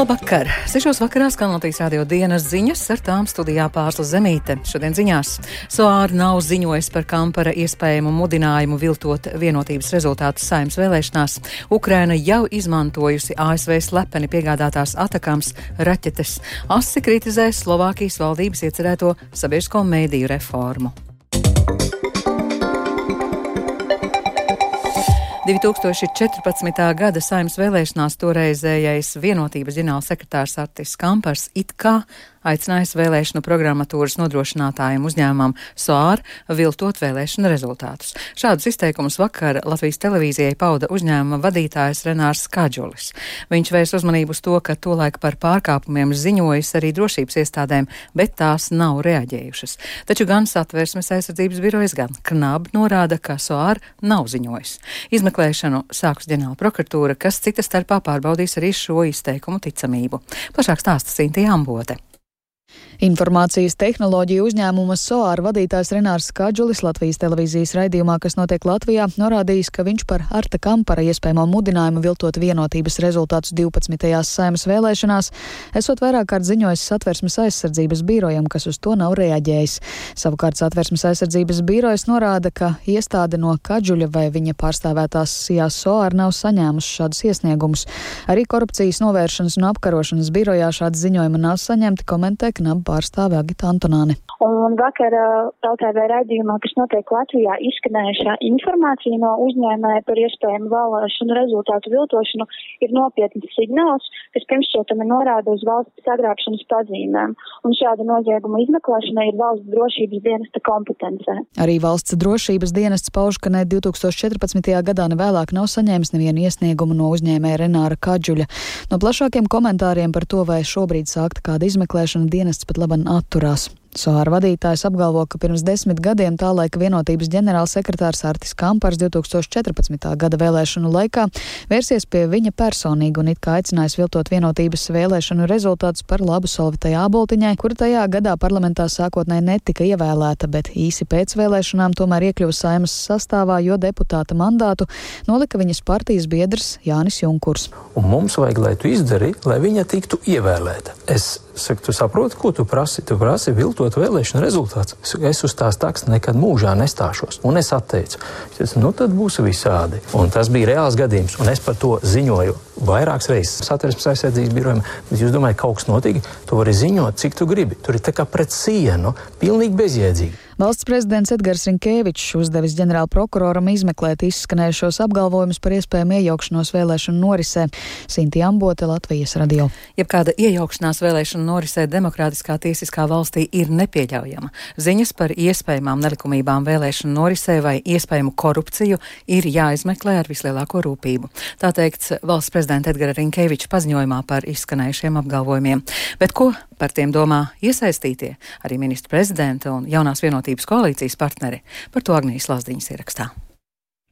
Labvakar! 6. vakarā skan Latvijas radio dienas ziņas, ar tām studijā Pārsla Zemīte. Šodien ziņās SOAR nav ziņojis par Kampara iespējamu mudinājumu viltot vienotības rezultātus Saeimas vēlēšanās. Ukraina jau izmantojusi ASV slepeni piegādātās Atakams raķetes. Asi kritizē Slovākijas valdības iecerēto sabiedrisko mediju reformu. 2014. gada Saeimas vēlēšanās toreizējais vienotības ģenerālsekretārs Artis Kampars it kā aicinājis vēlēšanu programmatūras nodrošinātājiem uzņēmumam SOAR viltot vēlēšanu rezultātus. Šādus izteikumus vakar Latvijas televīzijai pauda uzņēmuma vadītājs Renārs Kadžulis. Viņš vērs uzmanību uz to, ka tolaik par pārkāpumiem ziņojas arī drošības iestādēm, bet tās nav reaģējušas. Taču gan Satversmes aizsardzības birojas, gan KNAB norāda, ka SOAR nav ziņojis. Izmeklēšanu sākus ģenerāla prokuratūra, kas cita starpā pārbaudīs arī šo izteikumu ticamību. Plašāk stāsta Sintija Ambote. Informācijas tehnoloģiju uzņēmuma SOAR vadītājs Renārs Kadžulis Latvijas televīzijas raidījumā, kas notiek Latvijā, norādījis, ka viņš par Arta Kampara iespējamo mudinājumu viltot vienotības rezultātus 12. Saeimas vēlēšanās esot vairāk kārt ziņojis Satversmes aizsardzības birojam, kas uz to nav reaģējis. Savukārt Satversmes aizsardzības birojas norāda, ka iestāde no Kadžuļa vai viņa pārstāvētās SIA SOAR nav saņēmusi šādus iesniegumus. Arī korupcijas novēršanas un apkarošanas birojā šādi ziņojumi nav saņemti, komentē KNAB pārstāve Agita Antonāne. Un vakar LTV raidījumā, kas notiek Latvijā, izskanējušā informācija no uzņēmēja par iespējamu vēlēšanu rezultātu viltošanu ir nopietns signāls, kas pirmšķietami norāda uz valsts sagrābšanas pazīmēm. Un šāda nozieguma izmeklēšana ir valsts drošības dienesta kompetencē. Arī valsts drošības dienests pauž, ka ne 2014. gadā ne vēlāk nav saņēmis nevienu iesniegumu no uzņēmēja Renāra Kadžuļa. No plašākiem komentāriem par to, vai šobrīd sākta kāda izmeklēšana, dienests pat laban atturās. SOAR vadītājs apgalvo, ka pirms 10 gadiem tā laika vienotības ģenerālsekretārs Artis Kampars 2014. gada vēlēšanu laikā vērsies pie viņa personīgi un it kā aicinājis viltot vienotības vēlēšanu rezultātus par labu Solvitai Āboltiņai, kura tajā gadā parlamentā sākotnēji netika ievēlēta, bet īsi pēc vēlēšanām tomēr iekļuva Saeimas sastāvā, jo deputāta mandātu nolika viņas partijas biedrs Jānis Junkurs. Un mums vajag, lai tu izdari, lai viņa tiktu ievēlēta. Es saku, tu saproti, ko tu prasi? Tu prasi viltot vēlēšanu rezultāts. Es uz tās taks nekad mūžā nestāšos. Un es atteicu. Es teicu, tad būs visādi. Un tas bija reāls gadījums. Un es par to ziņoju vairākas reizes Satversmes aizsardzības birojam. Bet jūs domājat, kaut kas notika? Tu vari ziņot, cik tu gribi. Tur ir tā kā pret sienu, pilnīgi bezjēdzīgi. Valsts prezidents Edgars Rinkēvičs uzdevis ģenerāla prokuroram izmeklēt izskanējušos apgalvojumus par iespējamu iejaukšanos vēlēšanu norisē. Sintija Ambote, Latvijas radio. Jebkāda iejaukšanās vēlēšanu norisē demokrātiskā tiesiskā valstī ir nepieļaujama. Ziņas par iespējamām nelikumībām vēlēšanu norisē vai iespējamu korupciju ir jāizmeklē ar vislielāko rūpību. Tā teikts valsts prezidenta Edgara Rinkēviča paziņojumā par izskanējušiem apgalvojumiem. Bet ko par tiem domā iesaistītie, arī ministra prezidenta un jaunās vienotības koalīcijas partneri? Par to Agnijas Lazdiņas ierakstā.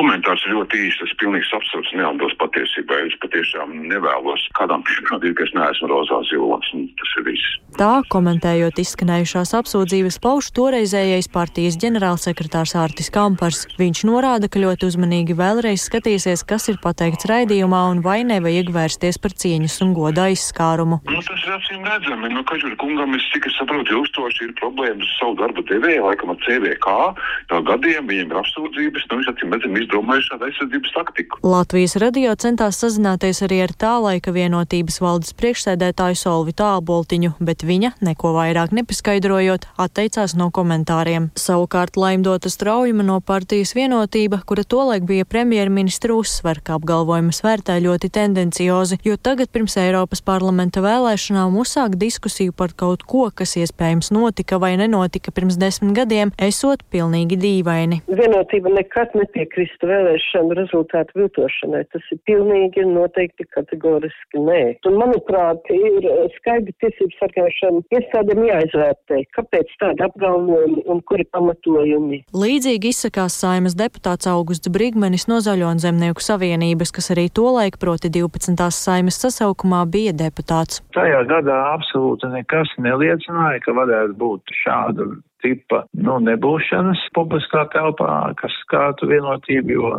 Komentārs ir ļoti īsts, es pilnīgi absolūti neatbilst patiesībai. Es patiešām nevēlos kādām pierādīt, ka es neesmu rozā zilonis, un tas ir viss. Tā, komentējot izskanējušās apsūdzības, pauž toreizējais partijas ģenerālsekretārs Artis Kampars. Viņš norāda, ka ļoti uzmanīgi vēlreiz skatīsies, kas ir pateikts raidījumā un vai nevajag vērsties par cieņas un goda aizskārumu. Tas ir acīm redzami. Kadžuļa kungam, es cik es saprotu, ilgstoši ir problēmas ar savu darba devēju, laikam ar CVK. No gadiem viņiem ir apsūdzības, viņš acīm redzami izdomājuši šādu aizsardzības taktiku. Latvijas radio centās sazināties arī ar tā laika vienotības valdes priekšsēdētāju Solvitu Āboltiņu, bet viņa, neko vairāk nepaskaidrojot, atteicās no komentāriem. Savukārt Laimdota Straujuma no partijas Vienotība, kura tolaik bija premjerministra, uzsver, ka apgalvojumus vērtē ļoti tendenciozi, jo tagad pirms Eiropas parlamenta vēlēšanām uzsāk diskusiju par kaut ko, kas iespējams notika vai nenotika pirms 10 gadiem, esot pilnīgi dīvaini. Vienotība nekad nepiekrist vēlēšanu rezultātu viltošanai. Tas ir pilnīgi noteikti kategoriski nē. Un, manuprāt, ir skaidri tiesību sargāšana iestādēm jāizvērtē, kāpēc tādi apgalvojumi un kuri pamatojumi. Līdzīgi izsakās Saeimas deputāts Augusts Brigmanis no Zaļo un Zemnieku savienības, kas arī tolaik, proti 12. Saeimas sasaukumā, bija deputāts. Tajā gadā absolūti nekas neliecināja, ka varētu būt šāda tipa nebūšanas publiskā telpā, kas skārtu vienotību, jo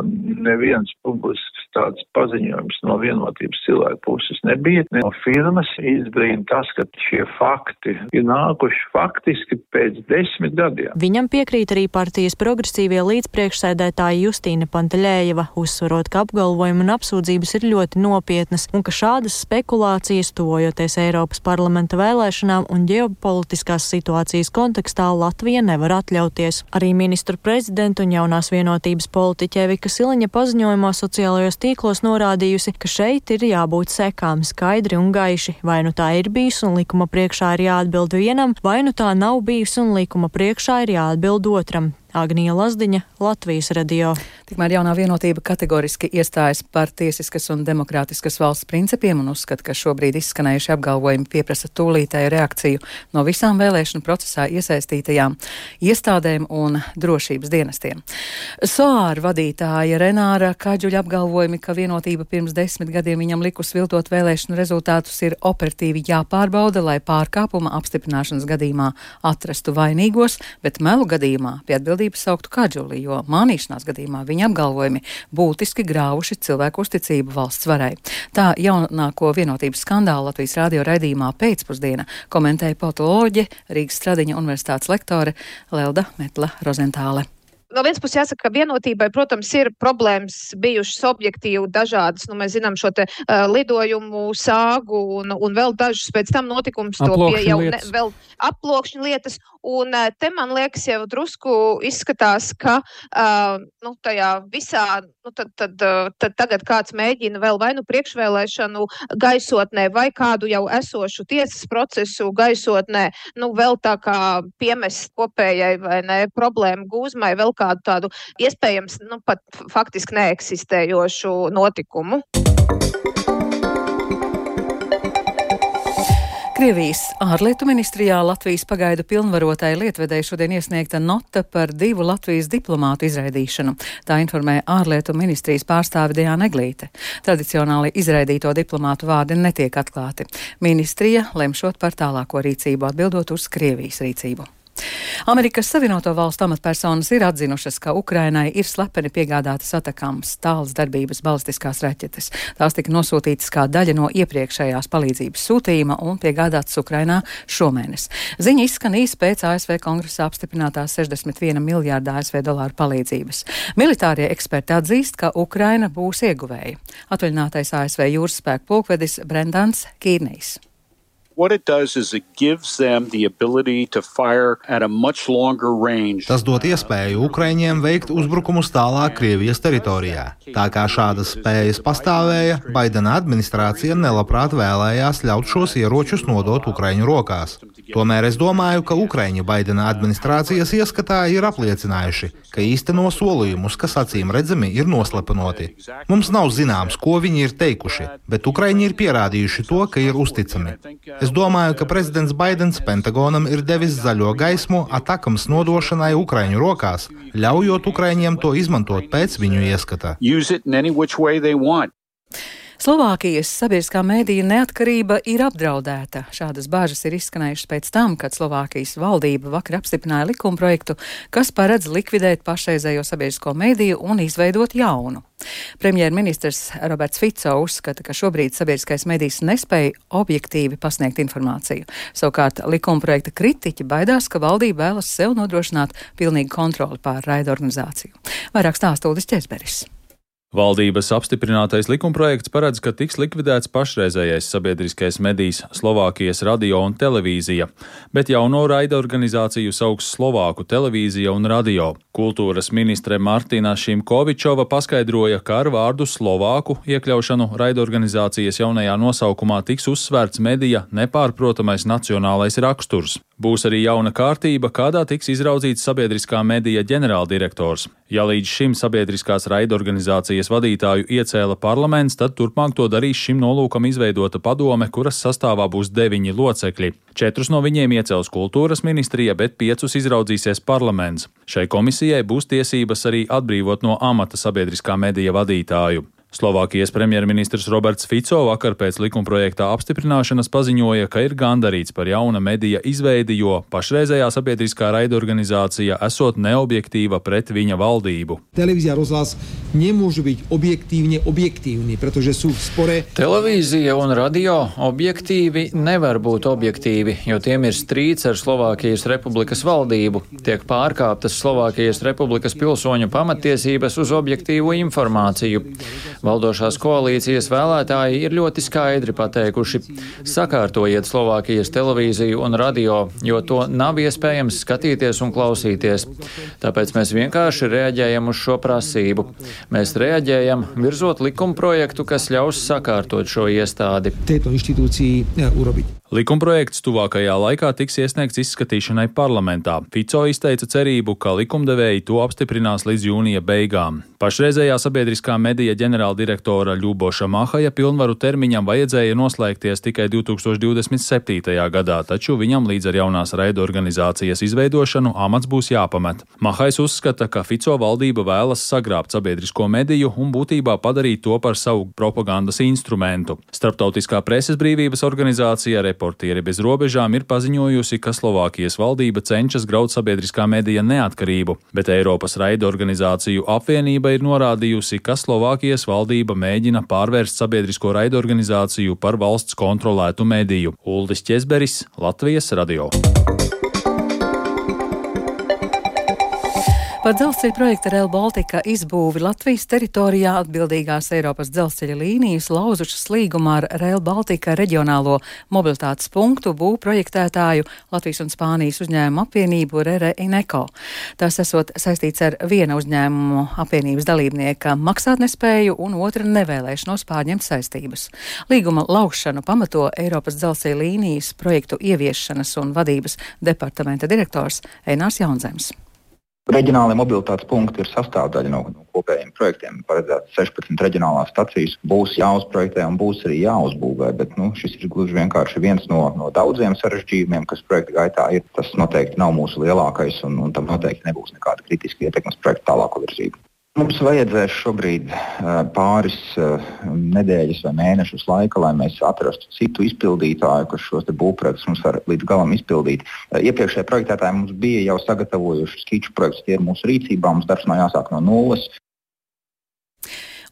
neviens publisks tāds paziņojums no Vienotības cilvēku puses nebija. No firmas izbrīna tas, ka šie fakti ir nākuši faktiski pēc 10 gadiem. Viņam piekrīt arī partijas progresīvie līdzpriekšsēdētāja Justīna Pantaļējeva, uzsvarot, ka apgalvojumi un apsūdzības ir ļoti nopietnas un ka šādas spekulācijas tuvojoties Eiropas parlamenta vēlēšanām un ģeopolitiskās situācijas kontekstā Latvija nevar atļauties. Arī ministru prezidentu un jaunās vienotības politiķe Vika Siliņa paziņojumā sociālajos tīklos norādījusi, ka šeit ir jābūt sekām skaidri un gaiši. Vai nu tā ir bijusi un likuma priekšā ir jāatbild vienam, vai nu tā nav bijusi un likuma priekšā ir jāatbild otram. Agnija Lazdiņa, Latvijas radio. Tikmēr jaunā vienotība kategoriski iestājas par tiesiskas un demokrātiskas valsts principiem un uzskata, ka šobrīd izskanējuši apgalvojumi pieprasa tūlītēju reakciju no visām vēlēšanu procesā iesaistītajām iestādēm un drošības dienestiem. SOAR vadītāja Renāra Kadžuļa apgalvojumi, ka vienotība pirms 10 gadiem viņam likus viltot vēlēšanu rezultātus, ir operatīvi jāpārbauda, lai pārkāpuma apstiprināšanas gadījumā atrastu vainīgos, bet melu gadījumā pie atbildības sauktu Kadžuli, jo mānīšanās gadījumā viņa apgalvojumi būtiski grāvuši cilvēku uzticību valsts varai. Tā jaunāko vienotības skandālu Latvijas radio raidījumā Pēcpusdiena komentēja politoloģe, Rīgas Stradiņa universitātes lektore Lelda Metla Rozentāle. No vienas puses jāsaka, ka vienotībai, protams, ir problēmas bijušas objektīvi dažādas. Mēs zinām šo te lidojumu sāgu un vēl dažus pēc tam notikumus vēl aploksņu lietas. Un te man liekas jau drusku izskatās, ka tajā visā, tad tagad kāds mēģina vēl vai nu priekšvēlēšanu gaisotnē vai kādu jau esošu tiesas procesu gaisotnē, vēl tā kā piemest kopējai vai ne problēmu gūzmai vēl kādu tādu iespējams pat faktiski neeksistējošu notikumu. Krievijas ārlietu ministrijā Latvijas pagaidu pilnvarotai lietvedēji šodien iesniegta nota par 2 Latvijas diplomātu izraidīšanu. Tā informē ārlietu ministrijas pārstāve Diāna Eglīte. Tradicionāli izraidīto diplomātu vārdi netiek atklāti. Ministrija lemšot par tālāko rīcību, atbildot uz Krievijas rīcību. Amerikas Savienoto Valstu amatpersonas ir atzinušas, ka Ukrainai ir slepeni piegādātas atakāmas tālas darbības balistiskās raķetes. Tās tika nosūtītas kā daļa no iepriekšējās palīdzības sūtījuma un piegādātas Ukrainā šomēnes. Ziņa izskan īsi pēc ASV kongresa apstiprinātās 61 miljārda ASV dolāru palīdzības. Militārie eksperti atzīst, ka Ukraina būs ieguvēja. Atvaļinātais ASV jūras spēku pulkvedis Brendans Kīrnejs. What it does is it gives them the ability to fire at a much longer range. Tas dod iespēju Ukraiņiem veikt uzbrukumus tālāk Krievijas teritorijā. Tā kā šādas spējas pastāvēja, Baidena administrācija nelabprāt vēlējās ļaut šos ieročus nodot Ukraiņu rokās. Tomēr es domāju, ka Ukraiņi Baidena administrācijas ieskatā ir apliecinājuši, ka īsteno solījumus, kas acīm redzami ir noslepenoti. Mums nav zināms, ko viņi ir teikuši, bet Ukraiņi ir pierādījuši to, ka ir uzticami. Es domāju, ka prezidents Baidens Pentagonam ir devis zaļo gaismu atakams nodošanai Ukraiņu rokās, ļaujot Ukraiņiem to izmantot pēc viņu ieskata. Slovākijas sabiedriskā mēdīja neatkarība ir apdraudēta. Šādas bāžas ir izskanējušas pēc tam, kad Slovākijas valdība vakar apstiprināja likumprojektu, kas paredz likvidēt pašreizējo sabiedrisko mēdīju un izveidot jaunu. Premjerministrs Roberts Fico uzskata, ka šobrīd sabiedriskais mēdījis nespēja objektīvi pasniegt informāciju. Savukārt likumprojekta kritiķi baidās, ka valdība vēlas sev nodrošināt pilnīgu kontroli pār raidorganizāciju. Vairāk stāsta Uldis Česberis. Valdības apstiprinātais likumprojekts paredz, ka tiks likvidēts pašreizējais sabiedriskais medijs Slovākijas radio un televīzija, bet jauno raidorganizāciju sauks Slovāku televīzija un radio. Kultūras ministre Martina Šimkovičova paskaidroja, ka ar vārdu Slovāku iekļaušanu raidorganizācijas jaunajā nosaukumā tiks uzsvērts medija nepārprotamais nacionālais raksturs. Būs arī jauna kārtība, kādā tiks izraudzīts sabiedriskā medija ģenerāldirektors. Ja līdz šim sabiedriskās raidorganizācijas vadītāju iecēla parlaments, tad turpmāk to darīs šim nolūkam izveidota padome, kuras sastāvā būs 9 locekļi. 4 no viņiem iecels kultūras ministrija, bet 5 izraudzīsies parlaments. Šai komisijai būs tiesības arī atbrīvot no amata sabiedriskā medija vadītāju. Slovākijas premjerministrs Roberts Fico vakar pēc likumprojektā apstiprināšanas paziņoja, ka ir gandarīts par jauna medija izveidi, jo pašreizējā sabiedriskā raidorganizācija esot neobjektīva pret viņa valdību. Televízia rozhlas nemôžu byť objektívne objektívni, pretože sú v spore. Televīzija un radio objektīvi nevar būt objektīvi, jo tiem ir strīds ar Slovākijas Republikas valdību. Tiek pārkāptas Slovākijas Republikas pilsoņu pamatiesības uz objektīvu informāciju. Valdošās koalīcijas vēlētāji ir ļoti skaidri pateikuši: sakārtojiet Slovākijas televīziju un radio, jo to nav iespējams skatīties un klausīties. Tāpēc mēs vienkārši reaģējam uz šo prasību. Mēs reaģējam virzot likumprojektu, kas ļaus sakārtot šo iestādi. Likumprojekts tuvākajā laikā tiks iesniegts izskatīšanai parlamentā. Fico izteica cerību, ka likumdevēji to apstiprinās līdz jūnija beigām. Pašreizējā sabiedriskā medija ģenerāldirektora Ļuboša Mahaja pilnvaru termiņam vajadzēja noslēgties tikai 2027. gadā, taču viņam līdz ar jaunās raidorganizācijas izveidošanu amats būs jāpamet. Mahajs uzskata, ka Fico valdība vēlas sagrābt sabiedrisko mediju un būtībā padarīt to par savu propagandas instrumentu. Starptautiskā preses brīvības organizācija Reportieri bez robežām ir paziņojusi, ka Slovākijas valdība cenšas graut sabiedriskā medija neatkarību, bet Eiropas raidorganizāciju apvienība ir norādījusi, ka Slovākijas valdība mēģina pārvērst sabiedrisko raidorganizāciju par valsts kontrolētu mediju. Uldis Ķezberis, Latvijas radio. Par dzelzceļa projekta Rail Baltica izbūvi Latvijas teritorijā atbildīgās Eiropas dzelzceļa līnijas lauzušas līgumā ar Rail Baltica reģionālo mobilitātes punktu būvprojektētāju Latvijas un Spānijas uzņēmumu apvienību RR Ineco. Tas esot saistīts ar viena uzņēmumu apvienības dalībnieka maksātnespēju un otra nevēlēšanos pārņemt saistības. Līguma laušanu pamato Eiropas dzelzceļa līnijas projektu ieviešanas un vadības departamenta direktors Einārs Jaunzems. Reģionālie mobilitātes punkti ir sastāvdaļa no kopējiem projektiem. Paredzēts 16 reģionālās stacijas būs jāuzprojektē un būs arī jāuzbūvē, bet šis ir gluži vienkārši viens no daudziem sarežģījumiem, kas projekta gaitā ir. Tas noteikti nav mūsu lielākais un tam noteikti nebūs nekāda kritiska ietekmes projekta tālāko virzību. Mums vajadzēs šobrīd pāris nedēļas vai mēnešus laika, lai mēs atrastu citu izpildītāju, kas šos būvprojektus mums var līdz galam izpildīt. Iepriekšējie projektētāji mums bija jau sagatavojuši skiču projektus, tie ir mūsu rīcībā, mums darbs nav jāsāk no nulles.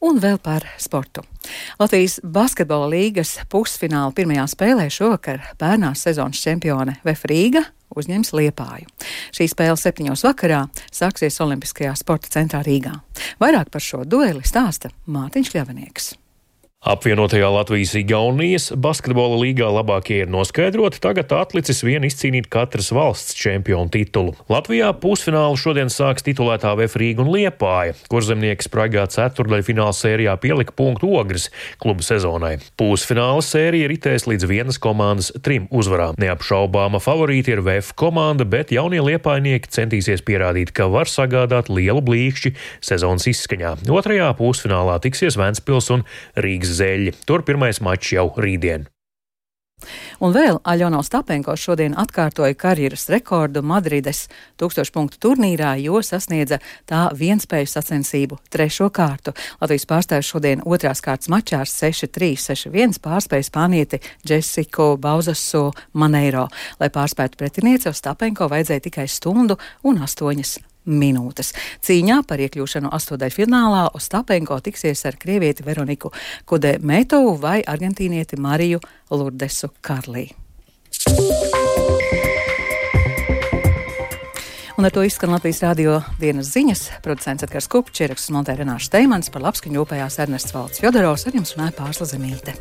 Un vēl par sportu. Latvijas basketbola līgas pusfināla pirmajā spēlē šovakar pērnās sezonas čempione VF Rīga uzņems Liepāju. Šī spēle 7 vakarā sāksies Olimpiskajā sporta centrā Rīgā. Vairāk par šo dueli stāsta Mārtiņš Kļavinieks. Apvienotajā Latvijas-Igaunijas basketbola līgā labākie ir noskaidroti, tagad atlicis vien izcīnīt katras valsts čempionu titulu. Latvijā pusfinālu šodien sāks titulētā VF Rīga un Liepāja, kurzemnieki spraigā ceturtdaļfināla sērijā pielika punktu Ogres kluba sezonai. Pusfināla sērija ritēs līdz vienas komandas 3 uzvarām. Neapšaubāma favorīti ir VF komanda, bet jaunie liepājnieki centīsies pierādīt, ka var sagādāt lielu blīkšķi sezonas izskaņā. Otrajā pusfinālā tiksies Ventspils un Rīgas Zeļi. Tur pirmais mačs jau rītdien. Un vēl Aļona Ostapenko šodien atkārtoja karjeras rekordu Madrides 1000 punktu turnīrā, jo sasniedza tā vienspēju sacensību 3. kārtu. Latvijas pārstāvis šodien 2. kārtas mačā ar 6-3, 6-1 pārspēja spānieti Jessiku Bauzasu Maneiro. Lai pārspētu pretinieci, Ostapenko vajadzēja tikai 1 stundu un 8 minūtes. Cīņā par iekļūšanu 8. finālā Ostapenko tiksies ar krievieti Veroniku Kudemetovu vai argentīnieti Mariju Lurdesu Karlī. Un ar to izskan Latvijas radio dienas ziņas. Producents Edgars Kupčs, ieraksts montē Renārs Steimans, par labskaņu rūpējās Ernests Valds Fjodorovs, ar jums runāja Pārsla Zemīte.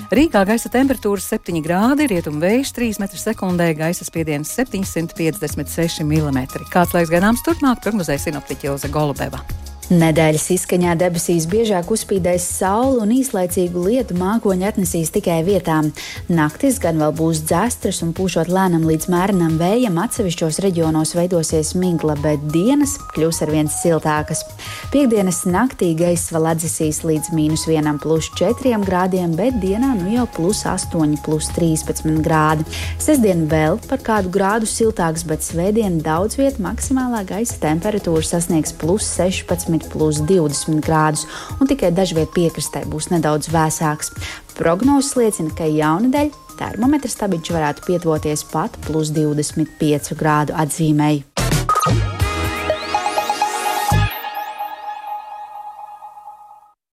Rīgā gaisa temperatūra 7 grādi, rietumu vējš 3 m/sekundē, gaisa spiediens 756 mm. Kāds laiks gaidāms turpmāk, prognozēja sinoptiķe Ilze Golubeva. Nedēļas izskaņā debesīs biežāk uzspīdēs saule un īslaicīgu lietu mākoņi atnesīs tikai vietām. Naktis gan vēl būs dzestras un pūšot lēnam līdz mērenam vējam, atsevišķos reģionos veidosies migla, bet dienas kļūs arvien siltākas. Piektdienas naktī gaiss vēl atdzisīs līdz -1 +4 grādiem, bet dienā jau +8, +13 grādi. Sestdien vēl par kādu grādu siltāks, bet svētdien daudz viet maksimālā gaisa temperatūra sasniegs +16, +20 grādus, un tikai dažviet piekrastē būs nedaudz vēsāks. Prognozes liecina, ka jaunedēļ termometra stabiņš varētu pietuvoties pat +25 grādu atzīmei.